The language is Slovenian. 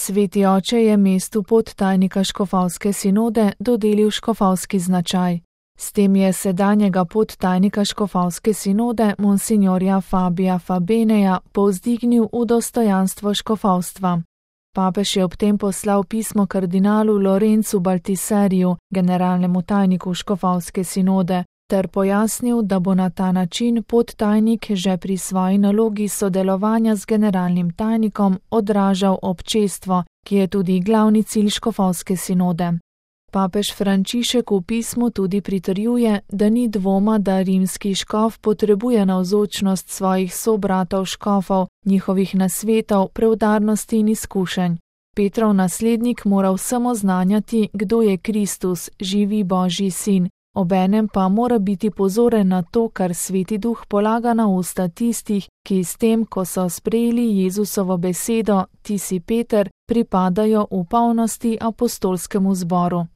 Sveti oče je mestu podtajnika škofovske sinode dodelil škofovski značaj. S tem je sedanjega podtajnika škofovske sinode monsignorja Fabija Fabeneja povzdignil v dostojanstvo škofovstva. Papež je ob tem poslal pismo kardinalu Lorenzu Baltiseriju, generalnemu tajniku škofovske sinode, ter pojasnil, da bo na ta način podtajnik že pri svoji nalogi sodelovanja z generalnim tajnikom odražal občestvo, ki je tudi glavni cilj škofovske sinode. Papež Frančišek v pismu tudi pritrjuje, da ni dvoma, da rimski škof potrebuje navzočnost svojih sobratov škofov, njihovih nasvetov, preudarnosti in izkušenj. Petrov naslednik mora vsem oznanjati, kdo je Kristus, živi Božji sin, obenem pa mora biti pozoren na to, kar Sveti Duh polaga na usta tistih, ki s tem, ko so sprejeli Jezusovo besedo, ti si Peter, pripadajo v polnosti apostolskemu zboru.